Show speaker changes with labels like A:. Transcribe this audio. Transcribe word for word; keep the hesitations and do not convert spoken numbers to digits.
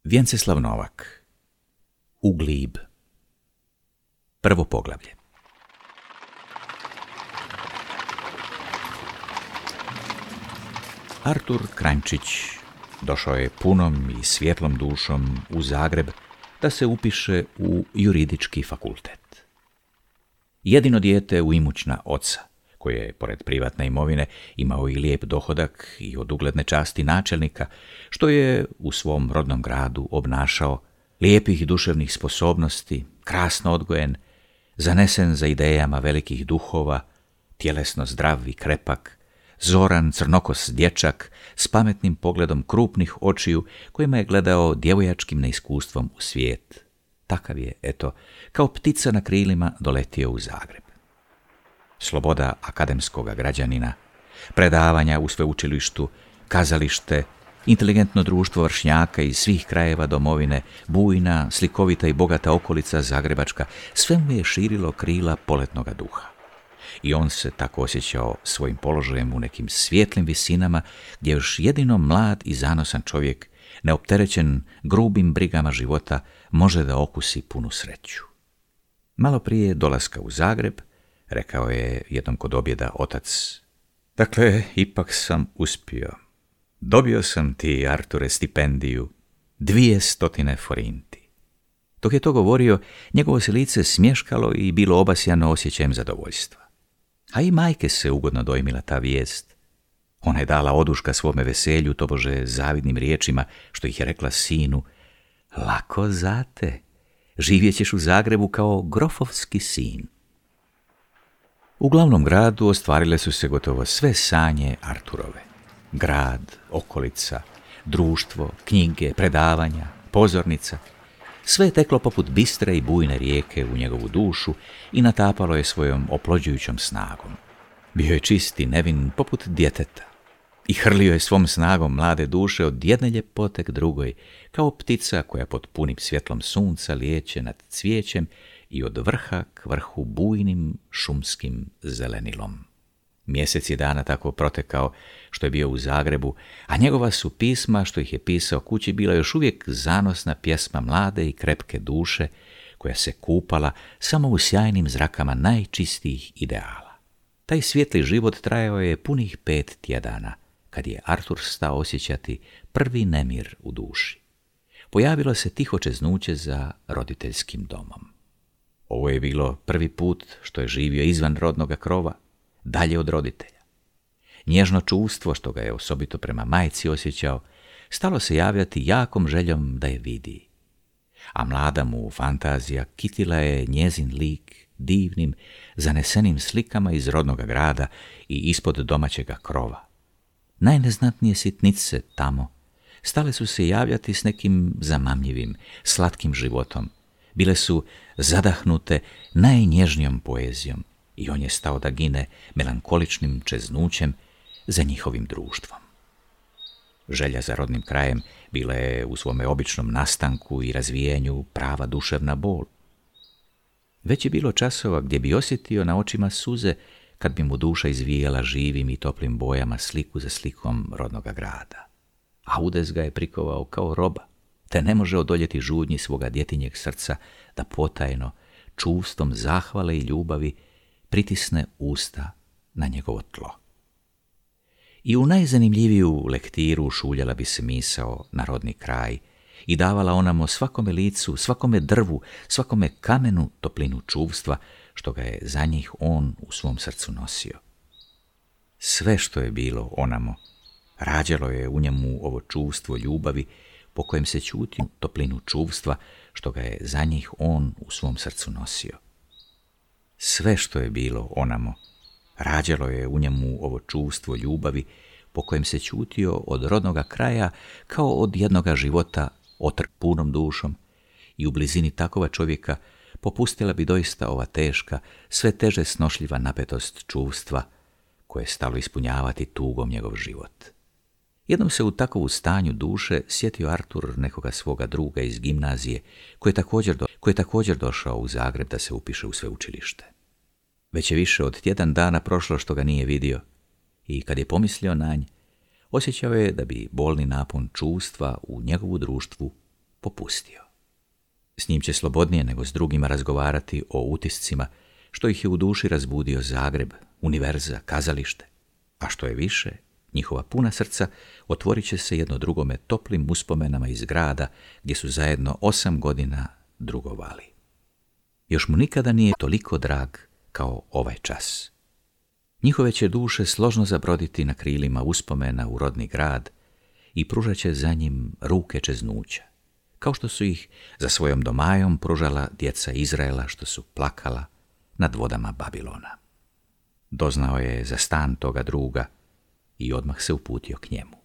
A: Vjenceslav Novak. Uglib. Prvo poglavlje. Artur Kranjčić došao je punom i svjetlom dušom u Zagreb da se upiše u juridički fakultet. Jedino dijete u imućna oca, koji je, pored privatne imovine, imao i lijep dohodak i od ugledne časti načelnika, što je u svom rodnom gradu obnašao, lijepih duševnih sposobnosti, krasno odgojen, zanesen za idejama velikih duhova, tjelesno zdrav i krepak, zoran crnokos dječak s pametnim pogledom krupnih očiju kojima je gledao djevojačkim neiskustvom u svijet. Takav je, eto, kao ptica na krilima doletio u Zagreb. Sloboda akademskoga građanina, predavanja u sveučilištu, kazalište, inteligentno društvo vršnjaka iz svih krajeva domovine, bujna, slikovita i bogata okolica zagrebačka, sve mu je širilo krila poletnoga duha. I on se tako osjećao svojim položajem u nekim svijetlim visinama, gdje još jedino mlad i zanosan čovjek, neopterećen grubim brigama života, može da okusi punu sreću. Malo prije dolaska u Zagreb, rekao je jednom kod objeda otac: dakle, ipak sam uspio. Dobio sam ti, Arture, stipendiju, dvije stotine forinti. Dok je to govorio, njegovo se lice smješkalo i bilo obasjano osjećajem zadovoljstva. A i majke se ugodno dojmila ta vijest. Ona je dala oduška svome veselju, tobože zavidnim riječima, što ih je rekla sinu: lako zate, živjet ćeš u Zagrebu kao grofovski sin. U glavnom gradu ostvarile su se gotovo sve sanje Arturove. Grad, okolica, društvo, knjige, predavanja, pozornica. Sve je teklo poput bistre i bujne rijeke u njegovu dušu i natapalo je svojom oplođujućom snagom. Bio je čist i nevin poput djeteta i hrlio je svom snagom mlade duše od jedne ljepote k drugoj, kao ptica koja pod punim svjetlom sunca lijeće nad cvijećem i od vrha k vrhu bujnim šumskim zelenilom. Mjesec je dana tako protekao što je bio u Zagrebu, a njegova su pisma, što ih je pisao kući, bila još uvijek zanosna pjesma mlade i krepke duše, koja se kupala samo u sjajnim zrakama najčistijih ideala. Taj svijetli život trajao je punih pet tjedana, kad je Artur stao osjećati prvi nemir u duši. Pojavilo se tiho čeznuće za roditeljskim domom. Ovo je bilo prvi put što je živio izvan rodnoga krova, dalje od roditelja. Nježno čuvstvo, što ga je osobito prema majci osjećao, stalo se javljati jakom željom da je vidi. A mlada mu fantazija kitila je njezin lik divnim, zanesenim slikama iz rodnoga grada i ispod domaćega krova. Najneznatnije sitnice tamo stale su se javljati s nekim zamamljivim, slatkim životom. Bile su zadahnute najnježnijom poezijom i on je stao da gine melankoličnim čeznućem za njihovim društvom. Želja za rodnim krajem bila je u svome običnom nastanku i razvijenju prava duševna bol. Već je bilo časova gdje bi osjetio na očima suze kad bi mu duša izvijala živim i toplim bojama sliku za slikom rodnoga grada. A udes ga je prikovao kao roba, te ne može odoljeti žudnji svoga djetinjeg srca da potajno, čuvstvom zahvale i ljubavi, pritisne usta na njegovo tlo. I u najzanimljiviju lektiru šuljala bi se misao na rodni kraj i davala onamo svakome licu, svakome drvu, svakome kamenu toplinu čuvstva, što ga je za njih on u svom srcu nosio. Sve što je bilo onamo, rađalo je u njemu ovo čuvstvo ljubavi, po kojem se ćuti toplinu čuvstva, što ga je za njih on u svom srcu nosio. Sve što je bilo onamo, rađalo je u njemu ovo čuvstvo ljubavi, po kojem se ćutio od rodnoga kraja kao od jednoga života otrk punom dušom, i u blizini takova čovjeka popustila bi doista ova teška, sve teže snošljiva napetost čuvstva, koje je stalo ispunjavati tugom njegov život. Jednom se u takovu stanju duše sjetio Artur nekoga svoga druga iz gimnazije, koji je također, do, koji je također došao u Zagreb da se upiše u sveučilište. Već je više od tjedan dana prošlo što ga nije vidio i kad je pomislio na nj, osjećao je da bi bolni napon čuvstva u njegovu društvu popustio. S njim će slobodnije nego s drugima razgovarati o utiscima što ih je u duši razbudio Zagreb, univerza, kazalište, a što je više, njihova puna srca otvorit će se jedno drugome toplim uspomenama iz grada gdje su zajedno osam godina drugovali. Još mu nikada nije toliko drag kao ovaj čas. Njihove će duše složno zabroditi na krilima uspomena u rodni grad i pružat će za njim ruke čeznuća, kao što su ih za svojom domajom pružala djeca Izraela što su plakala nad vodama Babilona. Doznao je za stan toga druga i odmah se uputio k njemu.